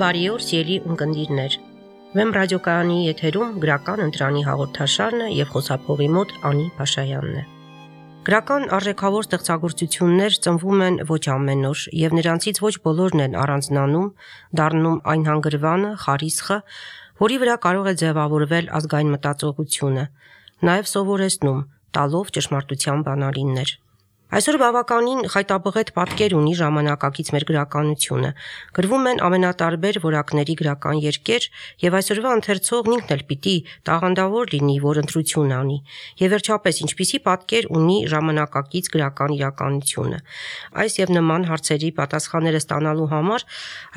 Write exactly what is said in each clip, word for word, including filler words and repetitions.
Բարի օր, սիրելի ունկնդիրներ։ Վեմ ռադիոկայանի եթերում գրական ընտրանի հաղորդաշարն է եւ խոսափողի մոտ Անի Փաշայանն է։ Գրական արժեքավոր ստեղծագործություններ ծնվում են ոչ ամեն օր եւ նրանցից ոչ բոլորն են առանձնանում, դառնում այն հանգրվանը, խարիսխը, որի վրա կարող է ձևավորվել ազգային մտածողությունը, նաեւ սովորեցնում, տալով ճշմարտության բանալիներ։ Այսօր բավականին խայտաբղետ պատկեր ունի ժամանակակից մեր գրականությունը։ Գրվում են ամենատարբեր որակների գրական երկեր, եւ այսօրվա ընթերցողն ինքն էլ պիտի տաղանդավոր լինի, որ ընտրություն անի։ Եվ վերջապես ինչպիսի պատկեր ունի ժամանակակից գրական իրականությունը։ Այս եւ նման հարցերի պատասխանները ստանալու համար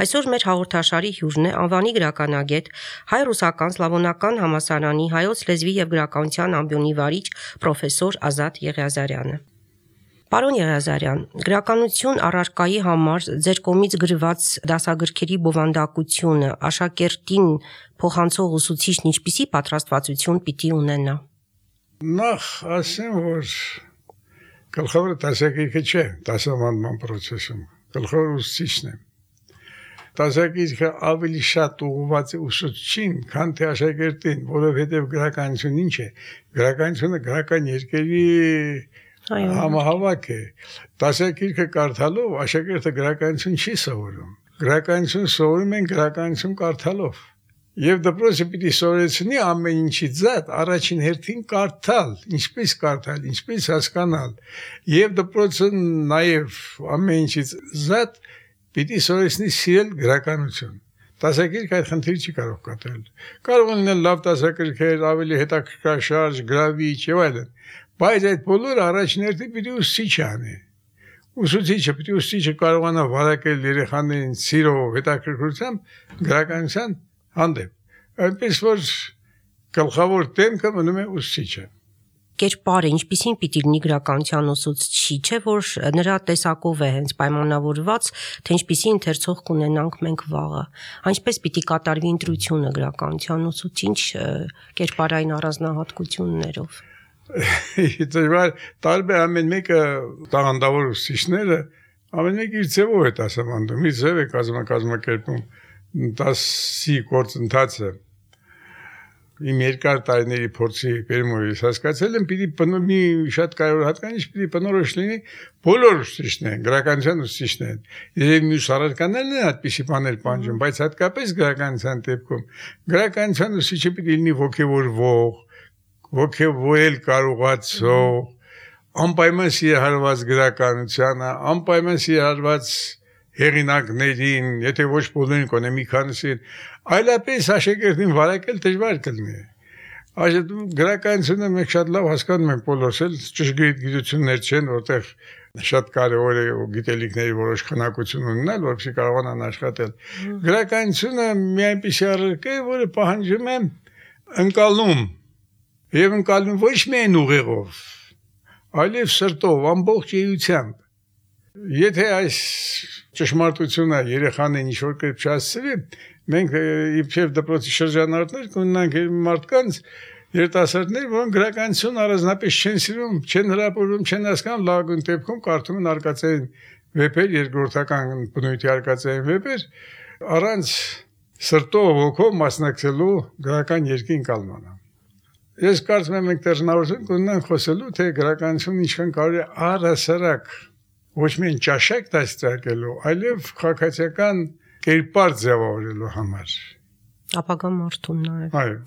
այսօր մեր հաղորդաշարի հյուրն է անվանի գրականագետ, հայ-ռուսական սլավոնական համալսարանի հայոց լեզվի եւ գրականության ամբիոնի վարիչ պրոֆեսոր Ազատ Եղիազարյանը։ Պարոն Եղիազարյան, գրականություն առարկայի համար ձեր կողմից գրված դասագրքերի բովանդակությունը աշակերտին փոխանցող ուսուցիչն ինչպիսի պատրաստվածություն պիտի ունենա։ Նախ ասեմ, որ գլխավորը դասագրքը չէ, դասավանդման process-ում, գլխավորը ուսուցիչն է։ Դասագրքը ավելի շատ ուղղված է ուսուցչին, քան թե աշակերտին, որովհետև գրականություն ինչ է։ Գրականությունը գրական երկերի համահավաք է։ Դասագրքը կարդալով աշակերտը գրականություն չի սովորում։ Գրականություն սովորում են գրականություն կարդալով։ Եվ դպրոցը պիտի սովորեցնի ամեն ինչի զատ առաջին հերթին կարդալ, ինչպես կարդալ, ինչպես հասկանալ։ Եվ դպրոցը նաև ամեն ինչից զատ պիտի սովորեցնի սիրել գրականություն։ Դասագրքը այդ խնդիրը չի կարող կատարել։ Կարող են լինել լավ դասագրքեր, ավելի հետաքրքրաշարժ, գրավիչ եւ այլն։ Բայց այդ բոլորը առաջին հերթին պիտի ուսուցիչը անի։ Ուսուցիչը պիտի ուսուցիչը կարողանա վարակել երեխաներին սիրով, հետաքրքրությամբ գրականության հանդեպ։ Այնպես որ գլխավոր դեմքը մնում է ուսուցիչը։ Կերպարը ինչպիսին պիտի լինի գրականության ուսուցչի, չէ՞ որ նրա տեսակով է հենց պայմանավորված, թե ինչպիսի ընթերցող կունենանք մենք վաղը։ Ինչպես պիտի կատարվի ընտրությունը գրականության ուսուցիչ կերպարային առանձնահատկություններով։ Դժվար տարբեր ամեն մեկը տաղանդավոր ուսուցիչները ամեն մեկը իր ձևով է դասավանդում, իր ձև է կազմակերպում դասի գործընթացը։ Իմ երկար տարիների փորձի բերումից հասկացել եմ, պիտի մի շատ կարևոր հատկանիշ պիտի բնորոշ լինի բոլոր ուսուցիչներն, գրականության ուսուցիչներն։ Երբ մյուս առարկաներն են այդպիսի բաներ պահանջում, բայց հատկապես գրականության դեպքում գրականության ուսուցիչը պիտի լինի ոգևորվող, ոգևորել կարողացող, անպայման սիրահարված գրականությանը, անպայման սիրահարված հեղինակներին, եթե ոչ բոլորին կոնե մի քանիսին, այլապես աշակերտին վարակել դժվար կլինի։ Այսինքն գրականությունը մենք շատ լավ հասկանում ենք բոլորս, էլ ճշգրիտ գիտություններ չեն, որտեղ շատ կարևոր է գիտելիքների որոշ քանակություն ունենալ, որպեսզի կարողանան աշխատել։ Գրականությունը մի այնպիսի առարկա է, որը պահանջում է ընկալում, եւ ընկալում ոչ միայն ուղեղով, այլև սրտով, ամբողջ էությամբ։ Եթե այս ճշմարտությունը երեխաներին ինչ-որ կերպ չհասցվի, մենք իբրև դպրոցի շրջանառներ կունենանք մարդկանց, երիտասարդներ, որոնք գրականություն առանձնապես չեն սիրում, չեն հրապուրվում, չեն հասկանում, լավագույն դեպքում կարդում են արկածային վեպեր, երկրորդական բնույթի արկածային վեպեր, առանց սրտով, ոգով մասնակցելու գրական երկի ընկալմանը։ Ես կարծում եմ մենք դեռնավորություն կունենանք խոսելու, թե գրականությունը ինչքան կարող է առհասարակ ոչ միայն ճաշակ դաստիարակելու, այլև քաղաքացիական կերպար ձևավորելու համար։ Ապագա մարդուն նաև։ Այո։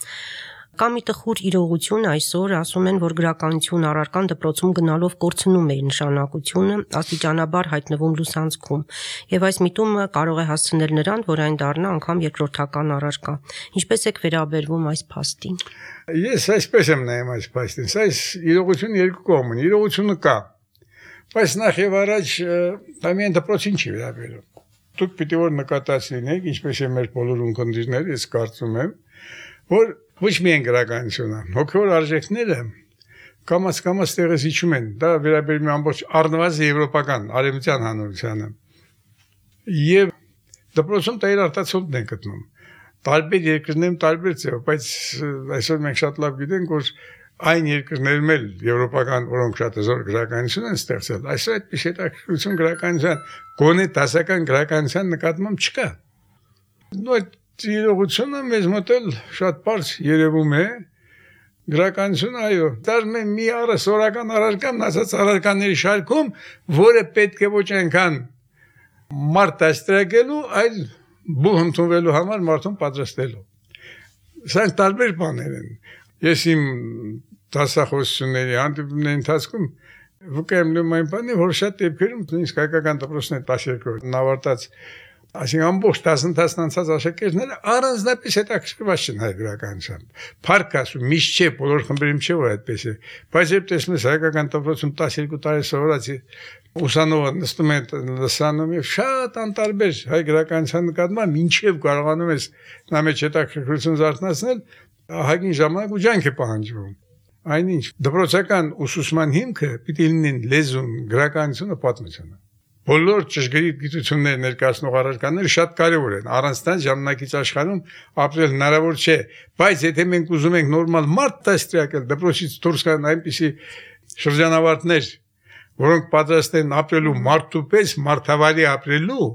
Կա մի տխուր իրողություն այսօր, ասում են, որ գրականություն առարկան դպրոցում գնալով կորցնում է իր նշանակությունը, աստիճանաբար հայտնվում լուսանցքում, եւ այս միտումը կարող է հասցնել նրան, որ այն դառնա անգամ երկրորդական առարկա։ Ինչպես եք վերաբերվում այս փաստին։ Ես այսպես եմ նայում այս փաստին։ Այս իրողությունը երկու կողմ ունի։ Իրողությունը կա։ Բայց նախ եւ առաջ դա միայն դպրոցին չի վերաբերում։ Դուք պիտի որ նկատած լինեք, ինչպես է մեր բոլոր ունկնդիրները, ես կարծում եմ, որ ոչ միայն գրականությունը, հոգևոր արժեքները կամաց-կամաց տեղից իջում են։ Դա վերաբերում է ամբողջ առնվազն եվրոպական արևմտյան հանրությանը։ Եվ դպրոցում դա իր արտացոլն են գտնում։ Տարբեր երկրներում տարբեր ձև, բայց այսօր մենք շատ լավ գիտենք, որ այն երկրներում էլ եվրոպական, որոնք շատ հզոր գրականություն են ստեղծել, այսօր այդպես հետաքրքրություն գրականության, գոնե դասական գրականության նկատմամբ չկա։ Նույն իրողությունը մեզ մոտ էլ շատ բարձ երևում է գրականությունը, այո, դառնում է մի առասորական առարկան, ասած առարկաների շարքում, որը պետք է ոչ այնքան մարդ դաստրակելու, այլ բուհ ընդունվելու համար մարդուն պատրաստելու։ Սրանք տարբեր բաներ են։ Ես իմ դասախոսությունների հանդիպումների ընթացքում վկայեմ նույն բանի, որ շատ դեպքերում նույնիսկ հայկական դպրոցների տասներկու ավարտած, այսինքն ամբողջ դասընթացն անցած աշակերտները առանձնապես հետաքրքրված չեն հայ գրականությամբ։ Փառք Աստծո, միշտ չէ, բոլոր խմբերում չէ, որ այդպես է, բայց երբ տեսնում ես հայկական դպրոցում տասներկու տարի սովորած ուսանողը նստում է լսանում եւ շատ անտարբեր հայ գրականության նկատմամբ մինչեւ կարողանում ես նա մեջ հետաքրքրություն զարթնացնել, ահագին ժամանակ ու ջանք է պահանջվում։ Այնինչ դպրոցական ուսուցման հիմքը պիտի լինեն լեզուն, գրականությունը, պատմությունը։ Բոլոր ճշգրիտ գիտություններ ներկայացնող առարկաները շատ կարևոր են։ Առանց դրանց ժամանակից աշխարհում ապրել հնարավոր չէ, բայց եթե մենք ուզում ենք նորմալ մարդ դաստրակել, դպրոցից դուրս գան այնպիսի շրջանավարտներ, որոնք պատրաստ են ապրելու մարդու պես, մարդավարի ապրելու,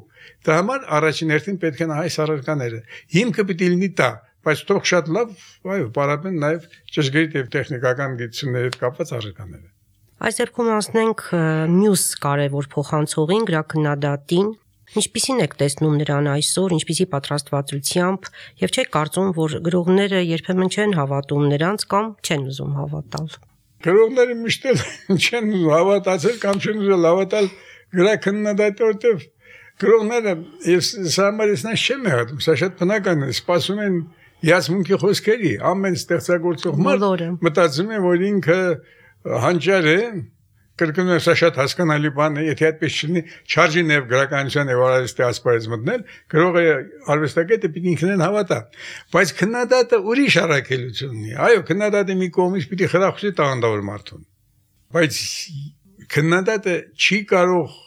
դա համար առաջին հերթին պետք են այս առարկաները։ Հիմքը պիտի լինի դա, բայց թող շատ լավ, այո, պարապեն նաև ճշգրիտ եւ տեխնիկական գիտությունների հետ կապված առարկաները։ Այս դեպքում անցնենք մյուս կարևոր փոխանցողին, գրաքննադատին։ Ինչպիսին եք տեսնում նրան այսօր, ինչպիսի պատրաստվածությամբ, եւ չեք կարծում, որ գրողները երբեմն չեն հավատում նրանց կամ չեն ուզում հավատալ։ Գրողները միշտ չեն հավատացել կամ չեն ուզել հավատալ գրաքննադատի, որտեղ գրողները ես սա համարես նա չեմ հատում, սա շատ բնական է, սպասում են հիացմունքի խոսքերի, ամեն ստեղծագործող մարդ մտածում է, որ ինքը հանճար է, կրկնում եմ, սա շատ հասկանալի բան է, եթե այդպես չլինի, չարժի նաև գրականության եւ արվեստի ասպարեզ մտնել, գրողը արվեստագետը պիտի ինքնին հավատա, բայց քննադատը ուրիշ առաքելություն ունի։ Այո, քննադատը մի կողմից պիտի խրախուսի տաղանդավոր մարդուն, բայց քննադատը չի կարող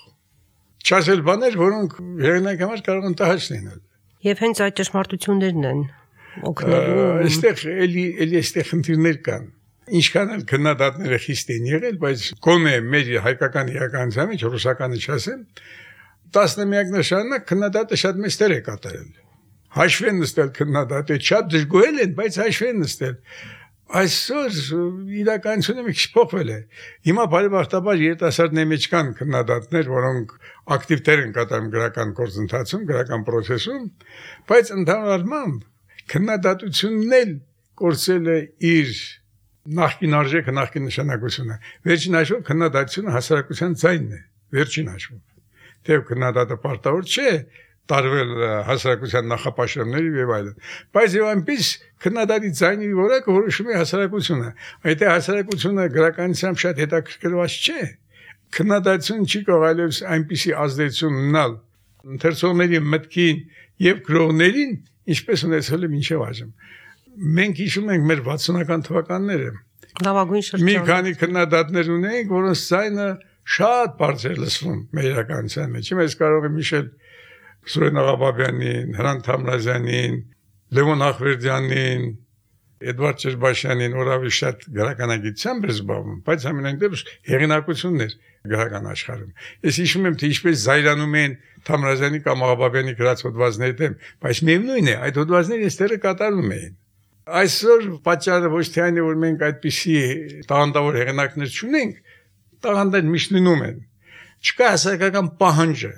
չասել բաներ, որոնք հեղինակի համար կարող են տհաճ լինել։ Եվ հենց այդ ճշմարտություններն են օգնելու։ Այստեղ էլի էլի այստեղ խնդիրներ կան։ Ինչքան էլ քննադատները խիստ են եղել, բայց կոնե մեր հայկական իրականության մեջ ռուսականը չասեմ, տասնամյակներ շարունակ քննադատը շատ մեծ դեր է կատարել։ Հաշվ են նստել քննադատը, շատ դժգոհել են, բայց հաշվ են նստել։ Այսօր իրականությունը մի քիչ փոխվել է։ Հիմա բարեբախտաբար երիտասարդների մեջ կան քննադատներ, որոնք ակտիվ դեր են կատարում գրական գործընթացում, գրական process-ում, բայց ընդհանուր առմամբ քննադատությունն էլ կորցել է իր նախկին արժեքը, նախկին նշանակությունը։ Վերջին հաշվով քննադատությունը հասարակության ձայնն է, վերջին հաշվով։ Թեև քննադատը պարտավոր չէ տարվել հասարակության նախապաշարների եւ այլն, բայց եւ այնպես քննադատի ձայնի որակը որոշում է հասարակությունը։ Եթե հասարակությունը գրականությամբ շատ հետաքրքրված չէ, քննադատությունը չի կարող այլևս այնպիսի ազդեցություն ունենալ ընթերցողների մտքին եւ գրողներին, ինչպես ունեցել է մինչեւ այժմ։ Մենք հիշում ենք մեր վաթսունական թվականները։ Լավագույն շրջան։ Մի քանի քննադատներ ունենք, որոնց ձայնը շատ բարձր լսվում մեր իրականության մեջ։ Ես կարող եմ հիշել Սուրեն Աղաբաբյանին, Հրանտ Թամրազյանին, Լևոն Ախվերդյանին, Էդվարդ Ճերբաշյանին, որովհետև շատ գրականագիտությամբ էր զբաղվում, բայց ամենայն դեպս հեղինակություններ գրական աշխարհում։ Ես հիշում եմ, թե ինչպես զայրանում են Թամրազյանի կամ Աղաբաբյանի գրած հոդվածների դեմ, բայց միևնույն է, այդ հոդվածները այստեղ կատարվում էին։ Այսօր պատճառը ոչ թե այն է, որ մենք այդպիսի տաղանդավոր հեղինակներ չունենք, տաղանդներ միշտ լինում են։ Չկա հասարակական պահանջը,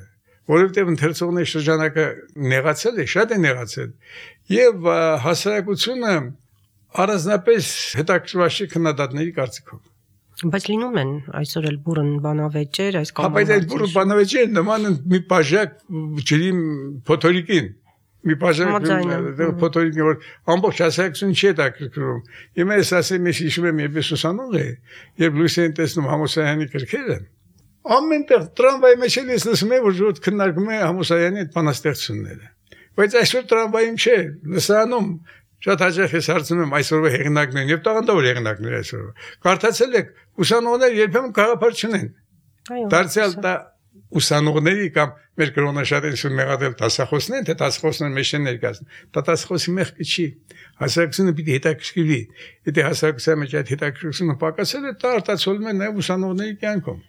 որովհետև ընթերցողների շրջանակը նեղացել է, շատ է նեղացել, եւ հասարակությունը առանձնապես հետաքրքրված չէ քննադատների կարծիքով։ Բայց լինում են այսօր էլ բուրըն բանավեճեր, այս կամ բայց այդ բուրըն բանավեճերը նման են մի բաժակ ջրի փոթորիկին, մի բաժակ փոթորիկին, որ ամբողջ հասարակությունը չի հետաքրքրում։ Հիմա ես ասեմ, ես հիշում եմ, երբ ուսանող էի, երբ լույս էին տեսնում Համոսայանի գրքերը, ամենտեղ տրամվայի մեջ էլ ես լսում եմ, որ քննարկում է Համոսայանի այդ բանաստեղծությունները։ Բայց այսօր տրամվայում չէ, լսանում շատ հաճախ ես հարցնում եմ այսօրվա հեղինակներին եւ տաղանդավոր հեղինակներ այսօրվա։ Կարդացել եք, ուսանողները երբեմն գաղափար չունեն։ Դարձյալ դա ուսանողների կամ մեր կրոնաշատերին մեղադել դասախոսներն, թե դասախոսները մեջ են ներկայացնում։ Դա դասախոսի մեղքը չի։ Հասարակությունը պիտի հետաքրքրվի։ Եթե հասարակության մեջ այդ հետաքրքրությունը պակասել է, դա արտացոլվում է նաեւ ուսանողների կյանքում։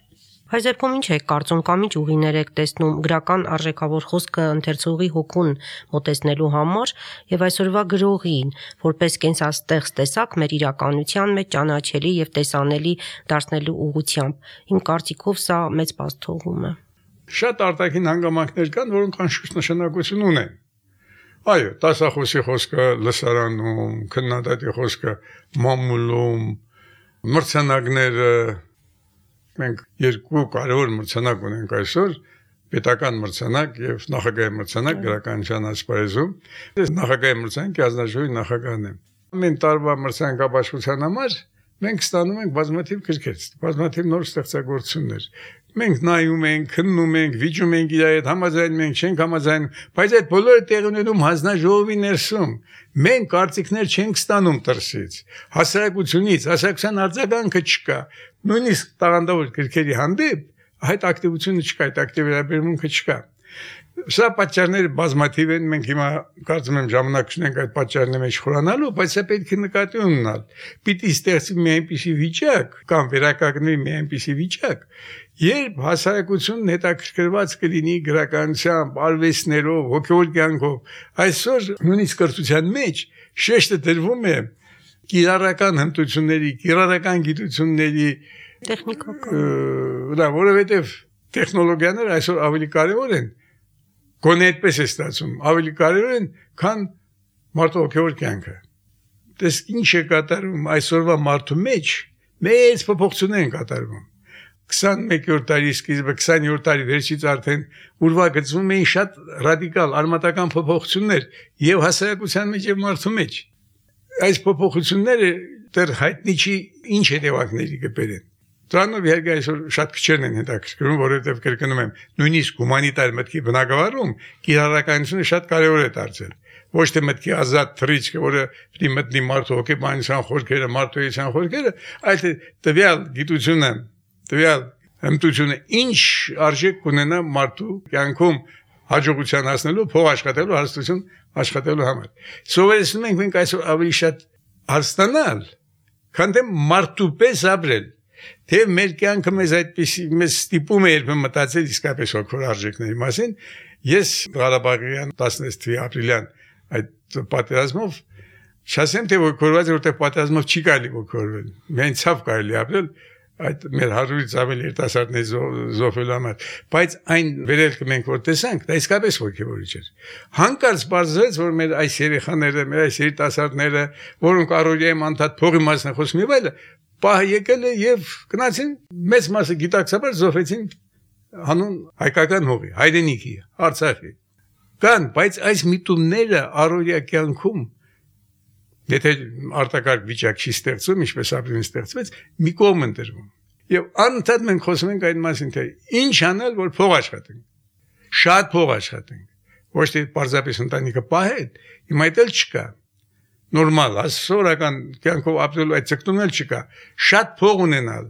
Այս դեպքում ինչ եք կարծում կամ ինչ ուղիներ եք տեսնում գրական արժեքավոր խոսքը ընթերցողի հոգուն մոտեցնելու համար եւ այսօրվա գրողին, որպես կենսաստեղծ տեսակ մեր իրականության մեջ ճանաչելի եւ տեսանելի դարձնելու ուղղությամբ։ Իմ կարծիքով սա մեծ բացթողում է։ Շատ արտաքին հանգամանքներ կան, որոնք անշուշտ նշանակություն ունեն։ Այո, դասախոսի խոսքը լսարանում, քննադատի խոսքը մամուլում, մրցանակները մենք երկու կարևոր մրցանակ ունենք այսօր, պետական մրցանակ եւ նախագահի մրցանակ գրականության ասպարեզում։ Նախագահի մրցանակի ազնաժողովի նախագահն եմ։ Ամեն տարվա մրցանակաբաշխության համար մենք ստանում ենք բազմաթիվ գրքեր, բազմաթիվ նոր ստեղծագործություններ։ Մենք նայում ենք, քննում ենք, վիճում ենք իր հետ, համաձայնում ենք, չենք համաձայնում, բայց այդ բոլորը տեղի ունենում հանձնաժողովի ներսում։ Մենք կարծիքներ չենք ստանում դրսից, հասարակությունից, հասարակության արձագանքը չկա։ Նույնիսկ տաղանդավոր գրքերի հանդեպ այդ ակտիվությունը չկա, այդ ակտիվ վերաբերմունքը չկա։ Սա պատճառները բազմաթիվ են, մենք հիմա կարծում եմ ժամանակ ունենք այդ պատճառների մեջ խորանալու, բայց սա պետք է նկատի ունենալ։ Պիտի ստեղծի մի այնպիսի վիճակ կամ վերականգնվի մի այնպիսի վիճակ, երբ հասարակությունն հետաքրքրված կլինի գրականությամբ, արվեստներով, հոգևոր կյանքով։ Այսօր նույնիսկ կրթության մեջ շեշտը դրվում է կիրառական հմտությունների, կիրառական գիտությունների, տեխնիկական, որովհետև տեխնոլոգիաները այսօր ավելի կարևոր են։ Գոնե այդպես է ստացվում, ավելի կարևոր են, քան մարդու հոգևոր կյանքը։ Տեսք ինչ է կատարվում այսօրվա մարդու մեջ, մեծ փոփոխություններ են կատարվում։ քսաներկերորդ դարի սկիզբը, քսաներորդ դարի վերջից արդեն ուրվագծվում էին շատ ռադիկալ, արմատական փոփոխություններ եւ հասարակության մեջ եւ մարդու մեջ։ Այս փոփոխությունները դեռ հայտնի չի ինչ հետևանքների կբերեն։ Դրանով իհարկե այսօր շատ քչերն են հետաքրքրում, որովհետև կրկնում եմ, նույնիսկ հումանիտար մտքի բնագավառում կիրառականությունը շատ կարևոր է դարձել։ Ոչ թե մտքի ազատ թռիչքը, որը պիտի մտնի մարդու հոգեբանության խորքերը, մարդու էության խորքերը, այլ թե տվյալ գիտությունը, տվյալ հմտությունը ինչ արժեք կունենա մարդու կյանքում հաջողության հասնելու, փող աշխատելու, հարստություն աշխատելու համար։ Սովորեցնում ենք մենք այսօր ավելի շատ հարստանալ, քան թե մարդու պես ապրել։ Թե մեր կյանքը մեզ այդպեսի մեզ ստիպում է երբեմն մտածել իսկապես հոգևոր արժեքների մասին, ես Ղարաբաղյան տասնվեց թվականի ապրիլյան այդ պատերազմով չասեմ թե ոգևորված է, որտեղ պատերազմով չի կարելի ոգևորվել, միայն ցավ կարելի ապրել այդ մեր հարյուրից ավելի երիտասարդների զոհվելու համար, բայց այն վերելքը մենք որ տեսանք, դա իսկապես ոգևորիչ էր։ Հանկարծ բարձրացեց, որ մեր այս երեխաները, մեր այս երիտասարդները, որոնք առօրյայում անդադ փողի մասն են խոսում եւ այլն, պահ եկել է եւ գնացին մեծ մասը գիտակցաբար զոհվեցին հանուն հայկական հողի, հայրենիքի, Արցախի։ Կան, բայց այս միտումները առօրյա կյանքում եթե արտակարգ վիճակ չի ստեղծում, ինչպես ապրին ստեղծվեց, մի կողմ են դրվում։ Եվ անընդհատ մենք խոսում ենք այդ մասին, թե ինչ անել, որ փող աշխատենք։ Շատ փող աշխատենք։ Ոչ թե պարզապես ընտանիքը պահել, հիմա այդ էլ չկա։ Նորմալ, ասորական կյանքով ապրելու այդ ցկտումն էլ չկա։ Շատ փող ունենալ,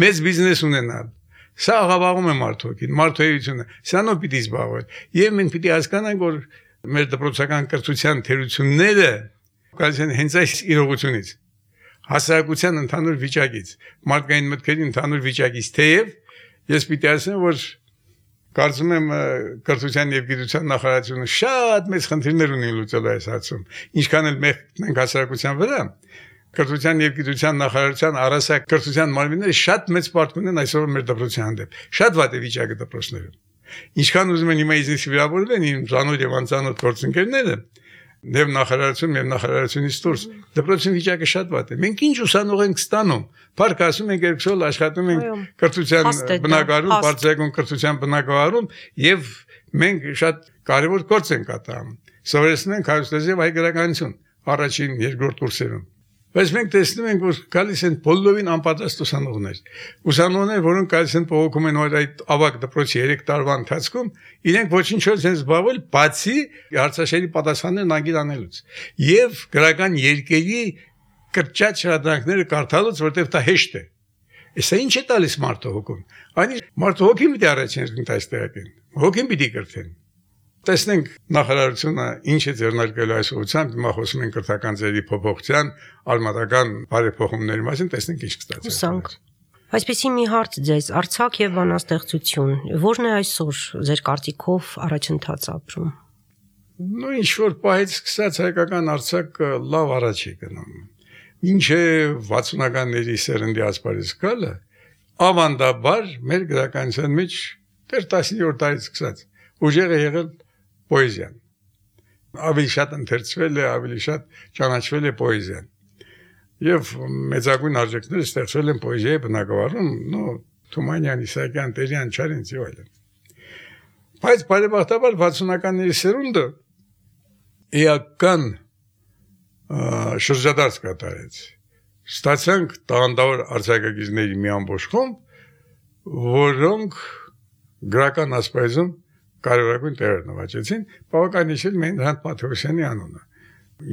մեծ բիզնես ունենալ։ Սա աղավաղում է մարդոքին, մարդոյությունը։ Սրանով պիտի զբաղվել։ Եվ մենք պիտի հասկանանք, որ մեր դպրոցական կրթության թերությունները կայացեն հենց այս իրողությունից, հասարակության ընդհանուր վիճակից, մարդկային մտքերի ընդհանուր վիճակից, թեև ես պիտի ասեմ, որ կարծում եմ կրթության եւ գիտության նախարարությունը շատ մեծ խնդիրներ ունի լուծելու այս հարցում, ինչքան էլ մենք հասարակության վրա, կրթության եւ գիտության նախարարության առասակ կրթության մարմինները շատ մեծ պարտք ունեն այսօր մեր դպրոցության հանդեպ, շատ վատ է վիճակը դպրոցներում, ինչքան ուզում են հիմա իզնից վիրավորվեն իմ ծանոթ եւ անծանոթ գործընկերները, Եվ նախարարություն, եւ նախարարությունից դուրս դպրոցի վիճակը շատ վատ է։ Մենք ինչ ուսանող ենք ստանում։ Փառք ասում ենք երկուսով աշխատում ենք կրթության բնակարանում, բարձրագույն կրթության բնակարանում եւ մենք շատ կարեւոր գործ ենք կատարում։ Սովորեցնում ենք հայոց եւ հայ գրականություն առաջին, երկրորդ կուրսերում։ Բայց մենք տեսնում ենք, որ գալիս են բոլորին անպատրաստ ուսանողներ։ Ուսանողներ, որոնք գալիս են փոխում են այդ ավագ դպրոցի երեք տարվա ընթացքում, իրենք ոչինչ չեն զբաղվել, բացի հարցաշերի պատասխաններն անգիր անելուց։ Եվ գրական երկերի կրճատ շարադրանքները կարդալուց, որտեղ դա հեշտ է։ Իսկ ինչ է տալիս մարդու հոգուն։ Այն մարդու հոգին պիտի առաջին ընթաց տեղակեն։ Հոգին պիտի կրթեն։ Տեսնենք նախարարությունը ինչ է ձեռնարկելու այս ուղղությամբ, հիմա խոսում ենք կրթական ձևի փոփոխության, արմատական բարեփոխումների մասին, տեսնենք ինչ կստացվի։ Այսպեսի մի հարց ձեզ, արձակ եւ բանաստեղծություն, ո՞րն է այսօր ձեր կարծիքով առաջընթաց ապրում։ Ну ինչ որ պահից սկսած հայկական արձակը լավ առաջ է գնում։ Մինչև վաթսունականների սերնդի ասպարեզ գալը ավանդաբար մեր գրականության մեջ դեռ տասնյոթ տարից սկսած ուժեղ է եղել պոեզիան։ Ավելի շատ ընթերցվել է, ավելի շատ ճանաչվել է պոեզիան։ Եվ մեծագույն արժեքները ստեղծվել են պոեզիայի բնագավառում, նո Թումանյան, Իսահակյան, Տերյան, Չարենց եւ այլն։ Բայց բարեբախտաբար վաթսունականների սերունդը էական շրջադարձ կատարեց։ Ստացանք տաղանդավոր արձակագիրների մի ամբողջ խումբ, որոնք գրական ասպարեզում կարևորագույն տեղեր նվաճեցին, բավական հիշել մեն Հրանտ Մաթեոսյանի անունը։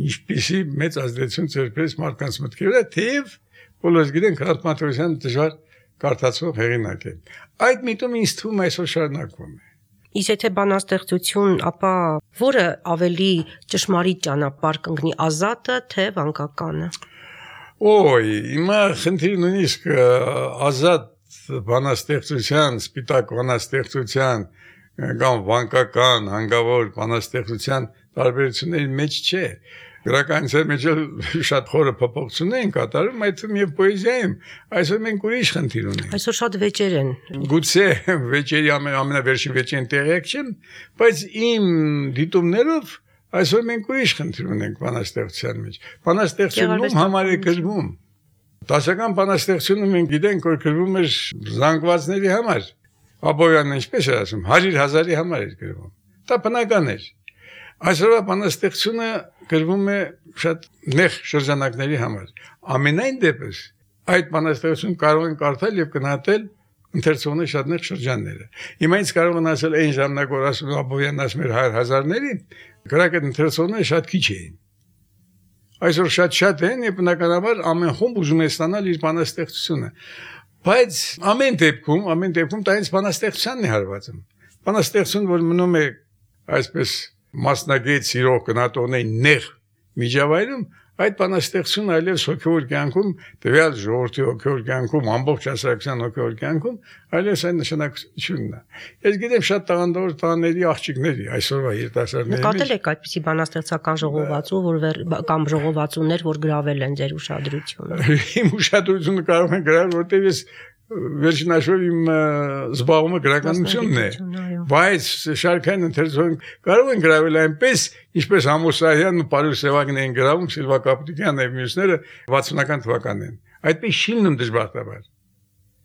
Ինչպիսի մեծ ազդեցություն ծերպեց մարդկանց մտքի վրա, թեև բոլորս գիտենք Հրանտ Մաթեոսյանը դժվար կարդացող հեղինակ է։ Այդ միտումը ինձ թվում է այսօր շարունակվում է։ Իսկ եթե բանաստեղծություն, ապա որը ավելի ճշմարիտ ճանապարհ կընկնի, ազատը թե վանկականը։ Ոյ, հիմա խնդիրը նույնիսկ ազատ բանաստեղծության, սպիտակ բանաստեղծության կամ վանկական, հանգավոր բանաստեղծության տարբերությունների մեջ չէ։ Գրականության մեջ շատ խորը փոփոխություններ են կատարում, այդ թվում եւ պոեզիայում։ Այսօր մենք ուրիշ խնդիր ունենք։ Այսօր շատ վեճեր են։ Գուցե վեճերի ամենավերջին վեճին տեղյակ չեմ, բայց իմ դիտումներով այսօր մենք ուրիշ խնդիր ունենք բանաստեղծության մեջ։ Բանաստեղծությունում համար է գրվում։ Դասական բանաստեղծությունը մենք գիտենք, որ գրվում է զանգվածների համար։ Աբովյանն ինչպես է ասում, հարյուր հազարի համար էր գրվում։ Դա բնական էր։ Այսօր բանաստեղծությունը գրվում է շատ նեղ շրջանակների համար։ Ամենայն դեպս այդ բանաստեղծությունը կարող են կարդալ եւ գնահատել ընթերցողների շատ նեղ շրջանները։ Հիմա ինձ կարող են ասել այն ժամանակ, որ ասում Աբովյանն ասում էր հարյուր հազարների, գրական ընթերցողները շատ քիչ էին։ Այսօր շատ-շատ են եւ բնականաբար ամեն խումբ ուզում է ստանալ իր բանաստեղծությունը։ Բայց ամեն դեպքում, ամեն դեպքում դա ինձ բանաստեղծությանն է հարվածում։ Բանաստեղծություն, որ մնում է այսպես մասնագետ սիրող գնահատողների նեղ միջավայրում, այդ բանաստեղծությունը այլևս հոգևոր կյանքում, տվյալ ժողովրդի հոգևոր կյանքում, ամբողջ հասարակության հոգևոր կյանքում, այլևս այն նշանակությունն է։ Ես գիտեմ շատ տաղանդավոր տղաների աղջիկների այսօրվա երիտասարդների։ Նկատել եք այդպիսի բանաստեղծական ժողովածու, որ կամ ժողովածուներ, որ գրավել են ձեր ուշադրությունը։ Իմ ուշադրությունը կարող են գրավել, որտեղ ես վերջին հաշվով իմ զբաղումը գրականությունն է, բայց շարքային ընթերցողին կարող են գրավել այնպես, ինչպես Ամոս Սահյանն ու Պարուս Սևակն էին գրավում, Սիլվա Կապուտյանն եւ մյուսները վաթսունական թվականներին։ Այդպես շիլնում դժբախտաբար։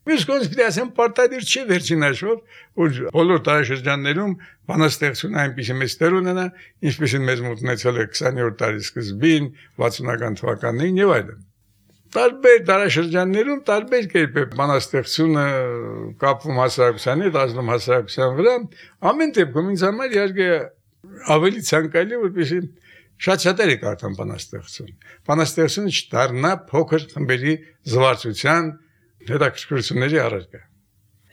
Մյուս կողմից պիտի ասեմ, պարտադիր չի վերջին հաշվով, որ բոլոր տարեշրջաններում բանաստեղծությունը այնպիսի մեծ տեղ ունենա, ինչպեսին մեզ մոտ ունեցել է քսաներորդ դարի սկզբին, վաթսունական թվականներին եւ այլն։ Տարբեր դարաշրջաններում տարբեր կերպ է բանաստեղծությունը կապվում հասարակությանի, դասնում հասարակության վրա, ամեն դեպքում ինձ համար իհարկե ավելի ցանկալի որպեսզի շատ-շատերը կարդան բանաստեղծություն։ Բանաստեղծությունը չդառնա փոքր խմբերի զվարճության հետաքրքրությունների առարկա։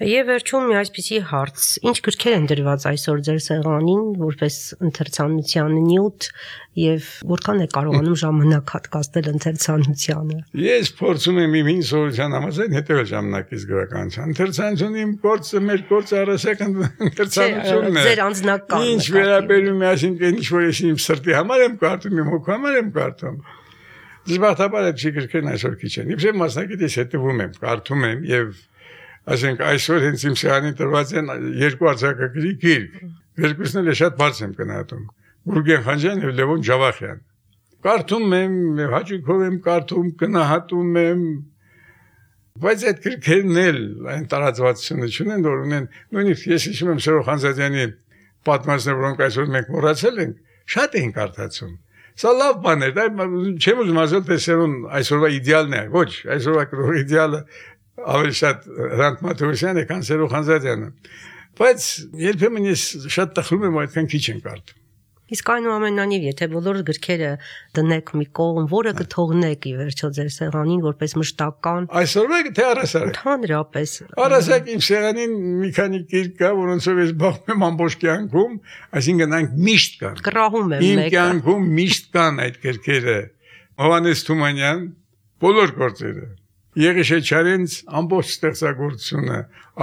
Եվ վերջում մի այսպիսի հարց. ինչ գրքեր են դրված այսօր ձեր սեղանին որպես ընթերցանության նյութ եւ որքան է կարողանում ժամանակ հատկացնել ընթերցանությանը։ Ես փորձում եմ իմ ինձ սովորության համաձայն հետեւել ժամանակից գրականության։ Ընթերցանությունը իմ գործը, մեր գործը առասական ընթերցանությունն է։ Ձեր անձնական։ Ինչ վերաբերում է, այսինքն ինչ որ ես իմ սրտի համար եմ կարդում, իմ հոգու համար եմ կարդում։ Դժբախտաբար այդ գրքերն այսօր քիչ են։ Իբրև մասնակից ես հետևում եմ, կարդում եմ եւ ասենք այսօր հենց իմ սեղանին տրված են երկու արձակագրի գիրք։ Երկուսն էլ շատ բարձր եմ գնահատում։ Գուրգեն Խանջյան եւ Լևոն Ջավախյան։ Կարդում եմ, հաճույքով եմ կարդում, գնահատում եմ, բայց այդ գրքերն էլ այն տարածվածությունը չունեն, որ ունեն, նույնիսկ ես հիշում եմ Սերո Խանձադյանի պատմածները, որոնք այսօր մենք մոռացել ենք, շատ էին կարդացում։ Սա լավ բան է, դա չեմ ուզում ասել, թե Սերոն այսօրվա իդեալն է, ոչ, այսօրվա գրողի իդեալը ավելի շատ Հրանտ Մաթեոսյանը, քան Սերո Խանձադյանը։ Բայց երբեմն ես շատ տխրում եմ, այդքան քիչ են կարդում։ Իսկ այնուամենայնիվ, եթե բոլոր գրքերը դնեք մի կողմ, որը կթողնեք ի վերջո ձեր սեղանին որպես մշտական։ Այսօրվա թե առասարակ։ Ընդհանրապես։ Առասարակ իմ սեղանին մի քանի գիրք կա, որոնցով ես զբաղվում եմ ամբողջ կյանքում, այսինքն այնք միշտ կան։ Կռահում եմ մեկը։ Իմ մեկը։ կյանքում միշտ կան այդ գրքերը։ Հովհաննես Թումանյան, բոլոր գործերը։ Եղիշեչարենց ամբողջ ստեղծագործությունը,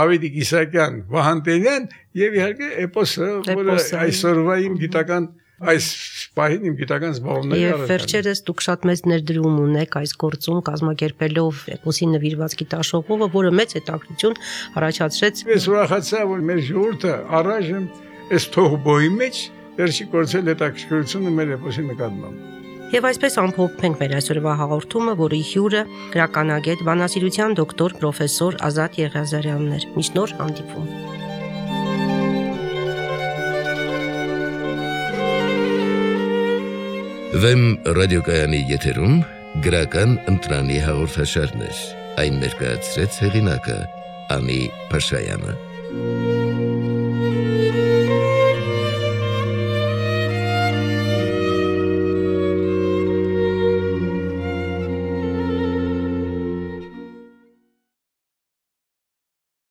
Ավետիք Իսակյան, Վահան Տերյան եւ իհարկե էպոսը, որը այսօրվա իմ գիտական այս պահին իմ գիտական զբաղումների Եվ վերջերս դուք շատ մեծ ներդրում ունեք այս գործում կազմակերպելով էպոսի նվիրված գիտաշխողովը, որը մեծ հետաքրքրություն առաջացրեց։ Ես ուրախացա, որ մեր ժողովուրդը առայժմ այս թողբոյի մեջ վերջի կորցել հետաքրքրությունը մեր էպոսի նկատմամբ։ Եվ այսպես ամփոփենք մեր այսօրվա հաղորդումը, որի հյուրը գրականագետ, բանասիրության դոկտոր պրոֆեսոր Ազատ Եղիազարյանն էր։ Մինչ նոր հանդիպում։ Վեմ ռադիոկայանի եթերում գրական ընտրանի հաղորդաշարներ։ Այն ներկայացրեց հեղինակը Անի Փաշայանը։